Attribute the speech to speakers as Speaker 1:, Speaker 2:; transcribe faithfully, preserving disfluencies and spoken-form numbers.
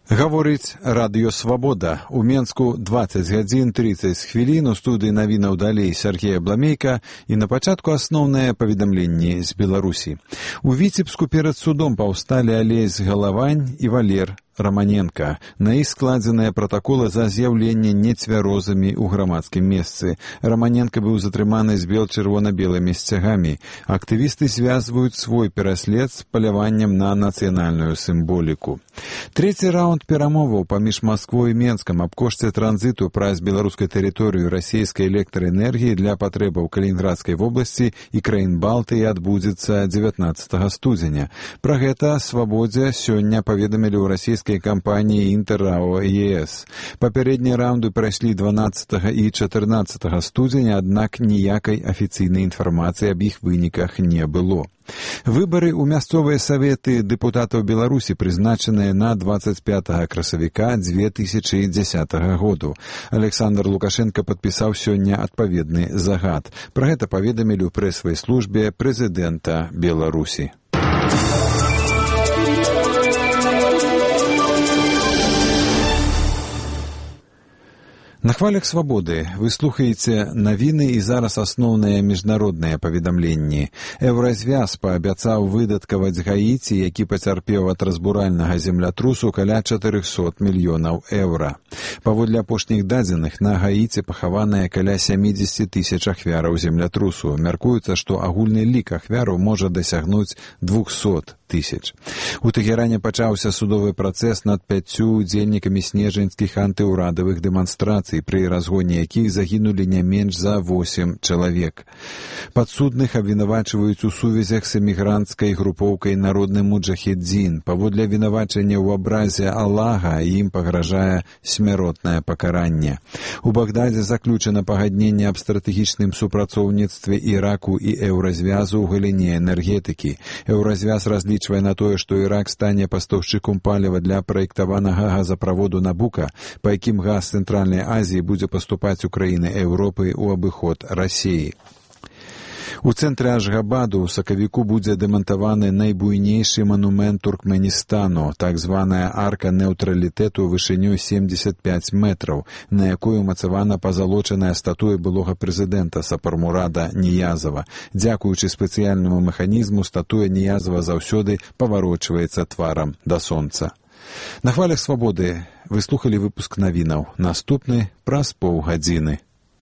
Speaker 1: Гаворыць Радыё Свабода. У Менску дваццаць гадзін трыццаць хвілін. У студыі навінаў далей Сергей Абламейка. І на пачатку асноўнае паведамленне з Беларусі. У Віцебску перад судом паўсталі Алесь Галавань і Валер Романенко. На іх складзеныя пратаколы за з'яўленне нецвярозамі ў грамадскім месцы. Романенко быў затрыманы з бел-чырвона-белымі сцягамі. Актывісты звязваюць свой пераслед з паляваннем на нацыянальную сімволіку. Трэці раунд перамоваў паміж Масквой і Менскам аб кошце транзіту праз беларускай тэрыторыю расійскай электраэнергіі для патрэбаў Калінінградскай вобласці і краін Балтыі адбудзецца дзевятнаццатага студзеня. Пра гэта Свабодзе сёння паведамілі ў расійскай кампаніі «Інтэррао ЕС». Папярэднія раунды прайшлі дванаццатага і чатырнаццатага студзеня, аднак ніякай афіцыйнай інфармацыі аб іх выніках не было. Выбары ў мясцовыя саветы дэпутатаў Беларусі прызначаныя на дваццаць пятага красавіка дзве тысячы дзесятага году. Александр Лукашенко падпісаў сёння адпаведны загад. Пра гэта паведамілі ў прэсавай службе прэзідэнта Беларусі. На хвалях Свабоды вы слухаеце навіны і зараз асноўныя міжнародныя паведамленні. Еўразвяз паабяцаў выдаткаваць Гаіці, які пацярпеў ад разбуральнага землятрусу, каля чатырохсот мільёнаў еўра. Паводле апошніх дадзеных, на Гаіці пахаваныя каля сямідзесят тысяч ахвяраў землятрусу. Мяркуецца, што агульны лік ахвяраў можа дасягнуць двухсот тысяч. У Тэгеране пачаўся судовы працэс над пяццю удзельнікамі снежаньскіх антыўрадавых дэманстрацый, пры разгоне якіх загінулі не менш за восем чалавек. Падсудных абвінавачваюць у сувязях з эмігранцкай групоўкай «Народны муджахедзін». Паводле абвінавачання ў абразе Аллаха ім пагражае смяротнае пакаранне. У Багдадзе заключана пагадненне аб стратэгічным супрацоўніцтве Іраку і Еўразвязу ў галіне энергетыкі. Еўразвяз разлічвае на тое, што Ірак стане пастаўшчыком паліва для праектаванага газаправоду Набука, па якім газ Цэнтральнай Азіі будзе паступаць у краіны Еўропы ў абыход Расіі. У цэнтры Ашгабаду ў сакавіку будзе дэмантаваны найбуйнейшы манумент Туркменістану, так званая арка нейтралітэту вышынёй семдзесят пяць метраў, на якой умацавана пазалочаная статуя былога прэзідэнта Сапармурада Ніязава. Дзякуючы спецыяльнаму механізму, статуя Ніязава заўсёды паварочваецца тварам да сонца. На хвалях Свабоды вы слухалі выпуск навінаў. Наступны праз паўгадзіны.